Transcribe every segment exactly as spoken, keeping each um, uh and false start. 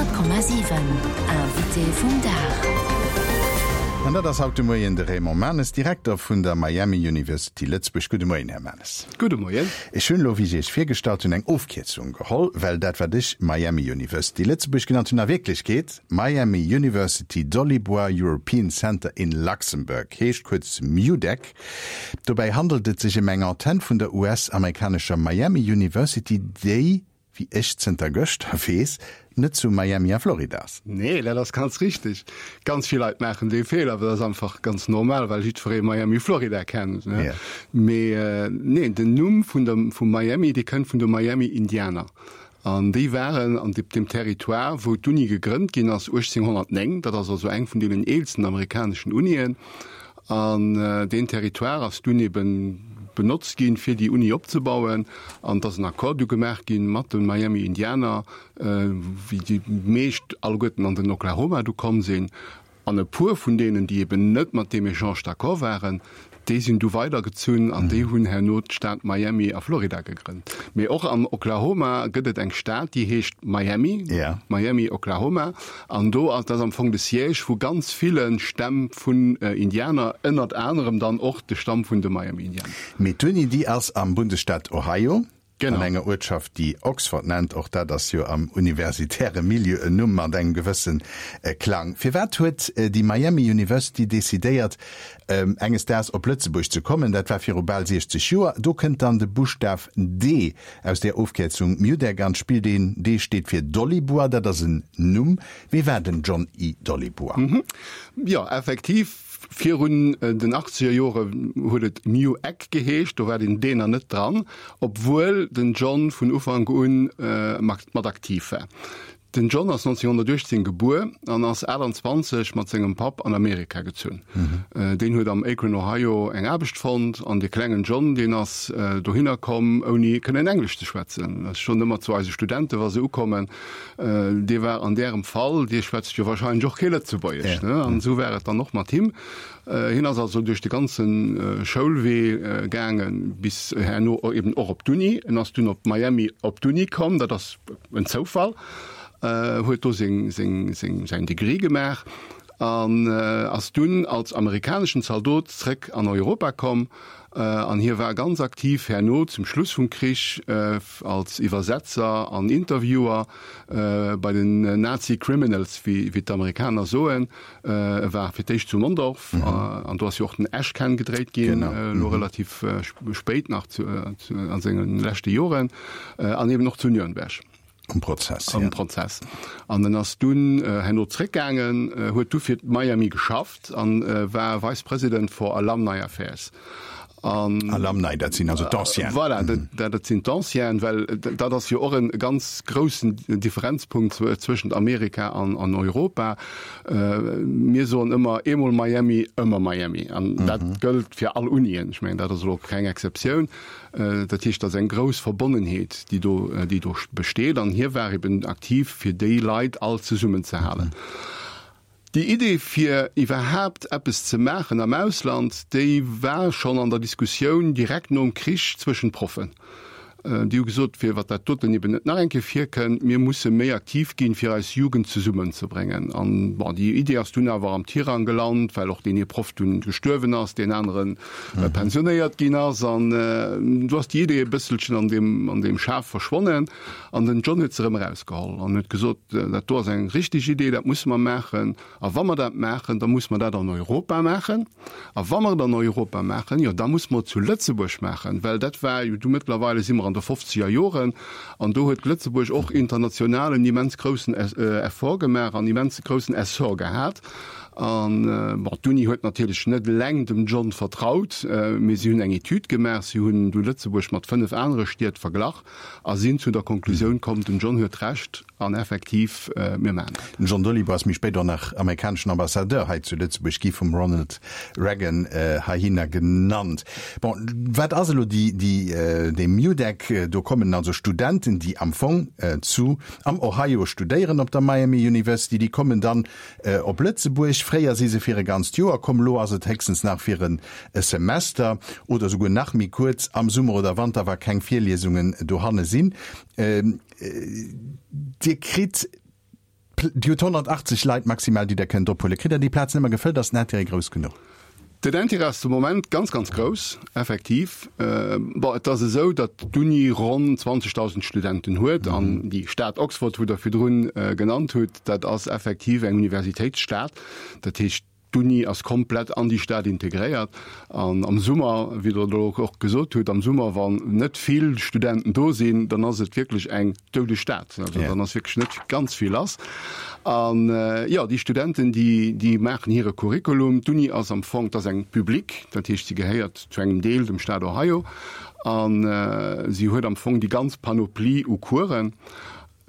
Honnert Komma siwen, Invité vum Dag. An dat ass haut de Moien de Raymond Manes, Direkter vun der Miami University Lëtzebuerg. Gudde Moien, Här Manes. Gudde Moien. Ech hunn elo, wéi ech Iech virgestallt hunn, eng Ofkierzung geholl, well dat, wat ech Miami University Lëtzebuerg genannt hunn, a Wierklechkeet Miami University Dolibois European Center in Luxembourg heescht, kuerz MUDEC. Dobäi handelt et sech ëm eng Antenn vun der U S-amerikanescher Miami University, déi, wéi ech zënter gëschter weess, net zu Miami a Florida ass. Nee, dat ass ganz richteg. Ganz vill Leit maachen dee Feeler, awer dat ass einfach ganz normal, well jiddweree Miami, Florida kennt, ne? Ja. Mee nee, den Numm vun der, vu Miami, dee kënnt vun de Miami-Indianer. An déi waren an deem Territoire, wou d'Uni gegrënnt ginn ass uechtzénghonnertnéng. Dat ass also eng vun deenen eelsten amerikaneschen Unien. An deen Territoire ass dunn eben benotzt ginn, fir déi Uni opzebauen. An et ass en Accord du gemaach ginn mat de Miami Indianer, wéi déi meescht alleguerten an den Oklahoma du komm sinn. An e puer vun deenen, déi eben net mat deem Echange d'accord waren, déi sinn du weidergezunn an déi hunn herno d'Stad Miami a Florida gegrënnt. Mee och am Oklahoma gëtt et eng Stad, déi heescht Miami, Miami, Oklahoma, an do ass, dat ass am Fong de Siège vu ganz ville Stämm vun Indianer, ënnert anerem dann och de Stamm vun de Miami-Indianer. Mee d'Uni, déi ass am Bundesstaat Ohio. An enger Uertschaft, déi Oxford nennt, och dat ass jo am universitäre Milieu en Numm mat engem gewësse Klang. Firwat huet déi Miami University decidéiert, enges Daags op Lëtzebuerg ze kommen? Dat war viru bal siechzeg Joer. Do kënnt dann de Buschtaf D aus där Ofkierzung MUDEC an d'Spill. Deen D steet fir Dolibois, dat ass en Numm. Wie war den John E. Dolibois? Jo, effektiv. Virun den achtzeger Jore huet et MUEC geheescht, do war den D nach net dran, obwuel den John vun Ufank un mat aktiv war. Den John ass nonzénghonnertuechtzéng gebuer an ass aachtanzwanzeg mat sengem Papp an Amerika gezunn. Deen huet am Akron, Ohio eng Aarbecht fonnt an de klengen John, deen ass dohinner komm ouni kënnen Englesch ze schwätzen. Dat ass schonn ëmmer zu eise Studenten, wa se ukommen, Dee war an därem Fall, dee schwätzt jo wahrscheinlech och kee Lëtzebuergesch, ne? An esou war et dann och mat him. Hien ass also duerch de ganze Schoulwee gaangen, bis herno eben och op d'Uni. En ass dunn op Miami op d'Uni komm, dat ass en Zoufall, huet do seng, seng, seng, säin Degree gemaach an ass dunn als amerikaneschen Zaldot zréck an Europa komm. An hie war ganz aktiv herno zum Schluss vum Krich als Iwwersetzer an Interviewer bei den Nazi Criminals, wéi d'Amerikaner soen. E war fir d'éischt zu Mondorf, an do ass jo och den Ashcan gedréit ginn, elo relativ spéit nach a senge leschte Joren, an eben och zu Nürnberg. Um Prozess, ja. Um Prozess. An en ass dunn herno zréckgaangen, huet du fir Miami geschafft an war Vice President for Alumni Affairs. An Alumni, dat sinn also d'Ancienen. Voilà, dat, dat sinn d'Ancienen, well dat ass jo och en ganz groussen Differenzpunkt zwëschent Amerika an, an Europa. Mir soen ëmmer, eemol Miami, ëmmer Miami. An dat gëllt fir all Unien. Ech mengen, dat ass elo keng Exceptioun. Dat heescht, dat ass eng grouss Verbonnenheet, déi do, déi do besteet. An hie war eben aktiv, fir déi Leit all zesummenzehalen. Déi Idee, fir iwwerhaapt eppes ze maachen am Ausland, déi war schonn an der Diskussioun direkt nom Krich zwëschent Proffen. Déi hu gesot, fir wat dat doten eben net nach eng Kéier virkënnt, mir musse méi aktiv ginn, fir eis Jugend zesummenzebréngen. An, bon, déi Idee ass dunn awer am Tirang gelant, well och deen ee Proff dunn gestuerwen ass, deen anere pensionéiert ginn ass. An du ass déi Idee e bësselchen an deem, an deem Schaf verschwonnen. An den John huet se erëm erausgeholl an huet gesot, dat do ass eng richteg Idee, dat musse mer maachen. A wa mer dat maachen, da muss mer dat an Europa maachen. A wa mer et an Europa maachen, jo da muss mer et zu Lëtzebuerg maachen, well dat war jo du, mëttlerweile si mer an de fofzeger Joren, an do huet Lëtzebuerg och international en immens groussen Effort gemaach an immens groussen Essor gehat. An, bon, d'Uni huet natierlech net eleng dem John vertraut, mee si hunn eng Etüd gemaach, si hunn du Lëtzebuerg mat fënnef anere Stied verglach a sinn zu der Konklusioun komm, den John huet Recht an effektiv, mir maachen dat. Den John Dolibois ass méi spéit och nach amerikaneschen Ambassadeur hei zu Lëtzebuerg gi, vum Ronald Reagan heihinner genannt. Bon, wat ass elo déi, déi, dee MUDEC? Do kommen also Studenten, déi am Fong zu, am Ohio studéieren op der Miami University, déi kommen dann op Lëtzebuerg. Fréier si se fir e ganzt Joer komm, elo ass et héchstens nach fir en Semester oder souguer nach méi kuerz, am Summer oder Wanter, wa keng Virliesungen dohanne sinn. Dir kritt Dir hutt honnertachtzeg Leit maximal, déi Der kënnt ophuelen. Kritt Der déi Plazen ëmmer gefëllt? Ass den Intérêt grouss genuch? Den Intérêt ass de Moment ganz, ganz grouss, effektiv. Bon, et ass esou, datt d'Uni ronn zwanzegdausend Studenten huet an déi Stad Oxford, wou Der virdrun genannt hutt, dat ass effektiv eng Universitéitsstad. Dat heescht, d'Uni ass komplett an déi Stad integréiert. An am Summer, wéi Der elo och gesot hutt, am Summer, wann net vill Studenten do sinn, dann ass et wierklech eng doudeg Stad. Also dann ass wierklech net ganz vill lass. An jo, déi Studenten, déi, déi maachen hire Curriculum. D'Uni ass am Fong, 't ass eng publique, dat heescht, si gehéiert zu engem Deel dem Staat Ohio. A si huet am Fong déi ganz Panoplie u Coursen.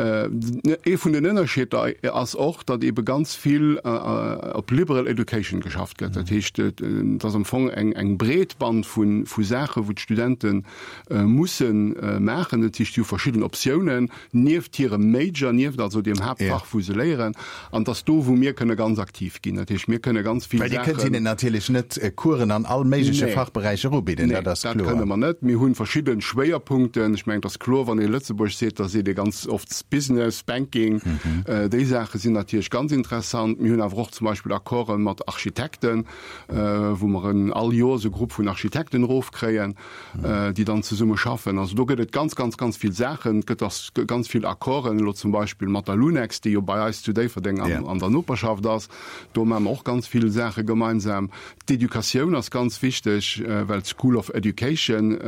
Ee vun den Ënnerscheeder ass och, datt eebe ganz vill op liberal education geschafft gëtt. Dat heescht, et ass am Fong eng breet Band vu Saachen, wou d'Studente musse maachen. Dat heescht, si hu verschidden Optiounen nieft hirem Major, nieft also deem Haaptfach, wou se léieren. An et ass do, wou mir kënne ganz aktiv ginn. Dat heescht, mir kënne ganz vill Well Dir kënnt hinnen natierlech net Coursen an all méigleche Fachberäicher ubidden, dat ass kloer. Nee, dat kënne mer net. Mir hu verschidde Schwéierpunkten. Ech mengen, et ass kloer, wann ee Lëtzebuerg seet, da seet ee ganz oft Business, Banking. Déi Saache sinn natierlech ganz interessant. Mir hunn awer och zum Beispill Accorde mat Architekten, wou mer en all Joers e Grupp vun Architekten erofkréien, déi dann zesumme schaffen. Also do gëtt et ganz, ganz, ganz vill Saachen. Et gëtt och ganz vill Accorden, elo zum Beispill mat der Lunex, déi jo bei eis zu Déifferdeng an der Noperschaft ass. Do maache mer och ganz vill Saache gemeinsam. D'Educatioun ass ganz wichteg, well d'School of Education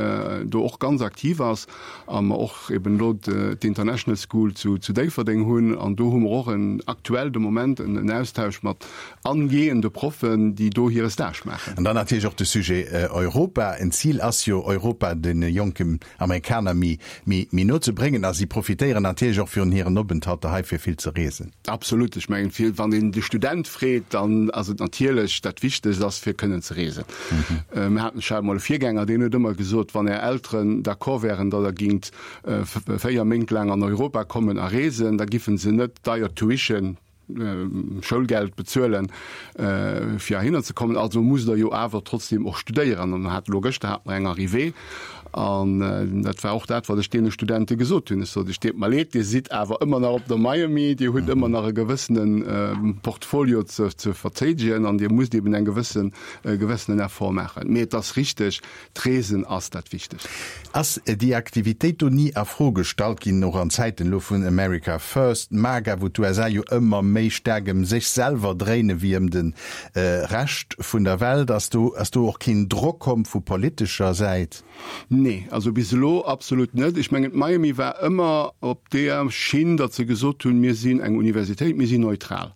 do och ganz aktiv ass a mer och eben elo d'International School zu Déifferdeng hunn. An do hu mer och en aktuell de Moment en Austausch mat angehende Proffen, déi do hire Stage maachen. An dann natierlech och de Sujet Europa. En Zil ass jo, Europa de jonken Amerikaner méi no ze bréngen. A si profitéieren natierlech och virun hiren Openthalter hei, fir vill ze reesen. Absolut. Ech mengen, fir, wann een de Student freet, dann ass et natierlech dat Wichtegst ass, fir kënnen ze reesen. Mir haten, ech hat emol e Virgänger, deen huet ëmmer gesot, wann Är Elteren d'accord wären, datt Der gingt véier Méint laang an Europa kommen a reesen, da giffen se net deier Tuition, Schoulgeld bezuelen, fir heihinner ze kommen. Also musst Der jo awer trotzdem och studéieren. An mir haten elo gëschter hate mer eng Arrivée an dat war och dat, wat ech deene Studente gesot hunn. Ech sot, Ech deet mer leed, Dir sidd awer ëmmer nach op der Miami, Dir hutt ëmmer nach e gewëssene Portfolio ze ze verteidegen an Dir musst eben eng gewëssen, e gewëssenen Effort maachen. Mee et ass richteg, D'Reesen ass dat Wichtegst. Ass déi Aktivitéit do ni a Fro gestallt ginn, och an Zäiten elo vun America First, MAGA, wou d'USA jo ëmmer méi staark ëm sech selwer dréine wéi ëm de Rescht vun der Welt? Ass do, ass do och keen Drock komm vu politescher Säit? Nee, also bis elo absolut net. Ech mengen, d'Miami war ëmmer op deeër Schinn, datt se gesot hunn, mir sinn eng Universitéit, mir sinn neutral.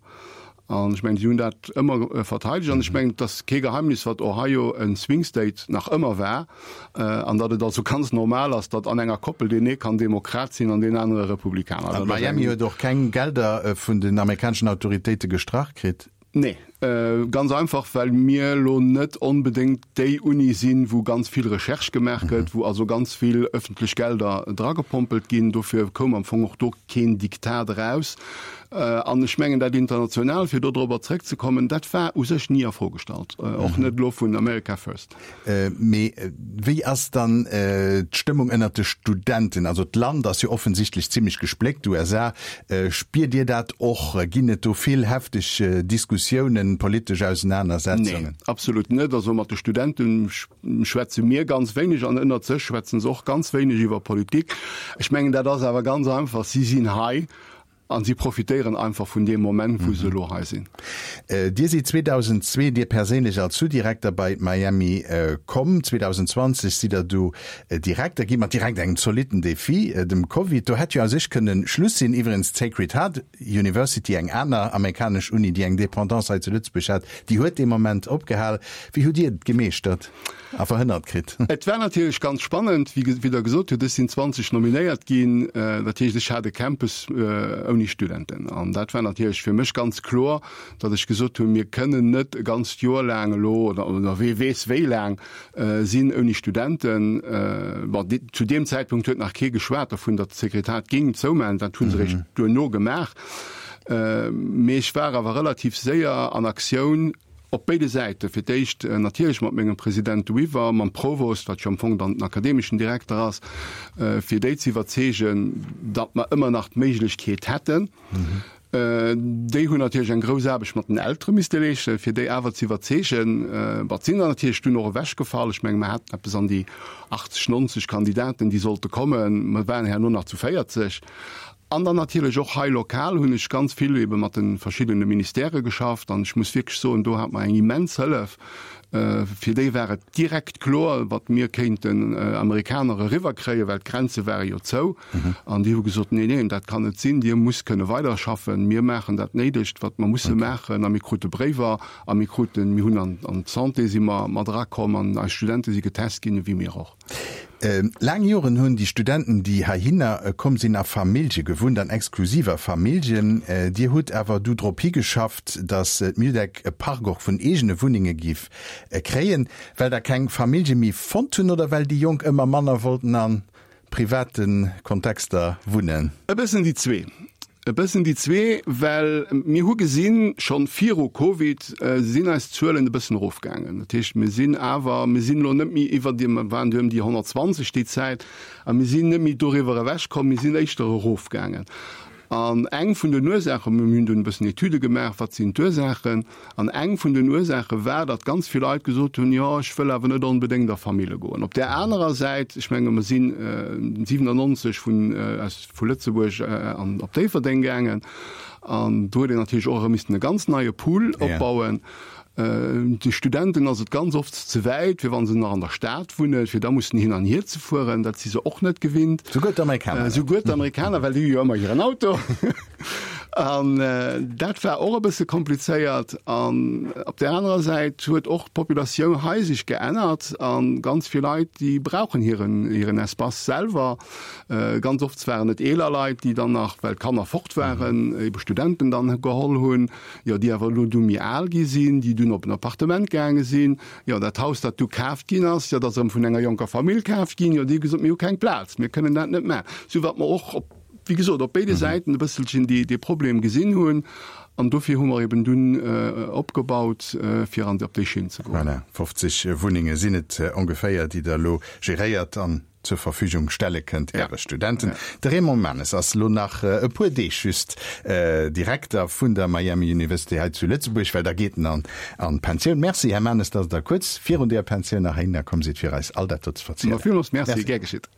An ech mengen, si hunn dat ëmmer verteidegt. An ech mengen, et ass kee Geheimnis, datt Ohio e Swing State nach ëmmer war an datt et also ganz normal ass, datt an enger Koppel deen ee kann Demokrat sinn an deen anere Republikaner. An Miami huet och keng Gelder vun den amerikaneschen Autoritéite gestrach kritt? Nee, ganz einfach, well mir elo net onbedéngt déi Uni sinn, wou ganz vill Recherche gemaach gëtt, wou also ganz vill öffentlech Gelder dragepompelt ginn. Dofir koum am Fong och do keen Diktat eraus. An ech mengen, dat international, fir dodrobber zrëckzekommen, dat war u sech ni a Fro gestallt, och net elo vun America First. Mee wéi ass dann d'Stëmmung ënnert de Studenten? Also d'Land ass jo offensichtlech zimlech gespléckt, d'USA. Spiert Dir dat och? Ginn et do vill hefteg Diskussiounen, politesch Ausenanersetzungen? Nee, absolut net. Also mat de Studente schwätze mir ganz wéineg an ënnert sech schwätze se och ganz wéineg iwwer Politik. Ech mengen, dat ass awer ganz einfach, si sinn hei An si profitéieren einfach vun deem Moment, wou se elo hei sinn. Dir sidd zweedausendzwee, Dir perséinlech als Sous-Direkter bei Miami komm. zweedausendzwanzeg sidd Der du Direkter gi mat direkt engem zolitten Defi, dem Covid. Do hätt jo a sech kënnen Schluss sinn. Iwwregens d'Sacred Heart University, eng aner amerikanesch Uni, déi eng Dependance hei zu Lëtzebuerg hat, déi huet dee Moment opgehal. Wéi hutt Dir et gemeeschtert a verhënnert kritt? Et war natierlech ganz spannend, wéi Der gesot hutt, ech sinn zwanzeg nominéiert ginn. Dat heescht, ech hat e Campus ouni Studenten. An dat war natierlech fir mech ganz kloer, datt ech gesot hunn, mir kënnen net e ganzt Joer laang elo oder wee weess wéi laang sinn ouni Studenten. Bon, zu deem Zäitpunkt huet nach kee geschwat dovun, datt d'Sekretariat géing zoumaachen. Dat hu se eréischt duerno gemaach. Mee ech war awer relativ séier an Aktioun, Op béide Säite, fir d'éischt natierlech mat mengem President Weaver, mam Provost, wat jo am Fong dann den akademeschen Direkter ass, fir déi ze iwwerzeegen, datt mer ëmmer nach d'Méiglechkeet hätten. Déi hunn natierlech eng grouss Aarbecht mat den Eltere misste leeschten, fir déi awer ze iwwerzeegen. Wat sinn der natierlech dunn och ewechgefall. Ech menge mer haten eppes an déi achtzeg, nonzeg Kandidaten, déi sollte kommen. Mer waren herno nach zu véierzeg. An dann natierlech och hei lokal hunn ech ganz vill ebe mat de verschiddene Ministèrë geschafft an ech muss wierklech soen, do hat mer eng immens Hëllef. Fir déi war et direkt kloer, wat mir kéinten Amerikaner eriwwerkréien, well d'Grenze ware jo zou. An déi hu gesot, Nee, neen, dat kann net sinn, Dir musst kënne weiderschaffen, mir maachen dat Néidegt, wat mer musse maachen. A mir krute Bréiwer a mir kruten, mir hunn an d'Santé si mer mat erakomm an eis Studente si getest ginn, ewéi mir och. Laang Joren hunn déi Studenten, déi heihinner komm sinn, a Famillje gewunnt, an exklusiver Familljen. Dir hutt awer du drop higeschafft, datt d'MUDEC e Park och vun eegene Wunnenge giff kréien, well der keng Famillje méi fonnt hunn oder well déi Jonk ëmmer manner wollten a private Kontexter wunnen? E bëssen déi zwee. E bëssen déi zwee, well mir hu gesinn, schonn viru Covid sinn eis Zuelen e bëssen erofgaangen. Dat heescht, mir sinn awer, mir sinn elo net méi iwwer déi, mir waren du ëm déi honnertzwanzeg déi Zäit, a mir sinn net méi doriwwer ewechkomm, mir sinn éischter erofgaangen. An eng vun den Ursaachen, mir hunn dunn e bëssen Etüde gemaach, wat sinn d'Ursaachen, an eng vun den Ursaache war, datt ganz vill Leit gesot hunn, jo, ech wëll awer net onbedéngt a Famille goen. Op där anerer Säit, ech menge mer sinn siwenannonzeg vun aus vu Lëtzebuerg an op Déifferdeng gaangen, an do huet een natierlech och erëm missten e ganz neie Pool opbauen. De Studenten ass et ganz oft ze wäit, fir wa se nach an der Stad wunnen, fir da mussen hin an hier ze fueren. Dat si se och net gewinnt. Souguer d'Amerikaner. Souguer d'Amerikaner, well déi hu jo ëmmer hiren Auto. An dat war och e bësse komplizéiert. An op där anerer Säit huet och d'Populatioun hei sech geännert a ganz vill Leit, déi brauchen hiren, hiren Espace selwer. Ganz oft waren et eeler Leit, déi dann nach, well d'Kanner fort waren, ebe Studenten dann geholl hunn, jo, déi awer elo du méi al gi sinn, déi dunn op en Appartement gaange sinn. Jo, dat Haus, dat du kaaft ginn ass, jo, dat ass erëm vun enger jonker Famill kaaft ginn. Jo, déi hu gesot, mir hu keng Plaz, mir kënnen dat net maachen. Sou wat mer och op, wéi gesot, op béide Säiten e bësselchen dee, dee Problem gesinn hunn. An dofir hu mer eben dunn opgebaut, fir an, op déi Schinn ze goen. Voilà, fofzeg Wunnenge sinn et ongeféier, déi Der elo geréiert an zur Verfügung stelle kënnt Äre Studenten. De Raymond Manes ass elo nach e puer Deeg just Direkter vun der Miami University hei zu Lëtzebuerg, well da geet en an d'Pensioun. Merci, Här Manes, dass Der kuerz virun deeër Pensioun nach heihinner komm sidd, fir eis all dat do ze verzielen. Villmools Merci, gär geschitt.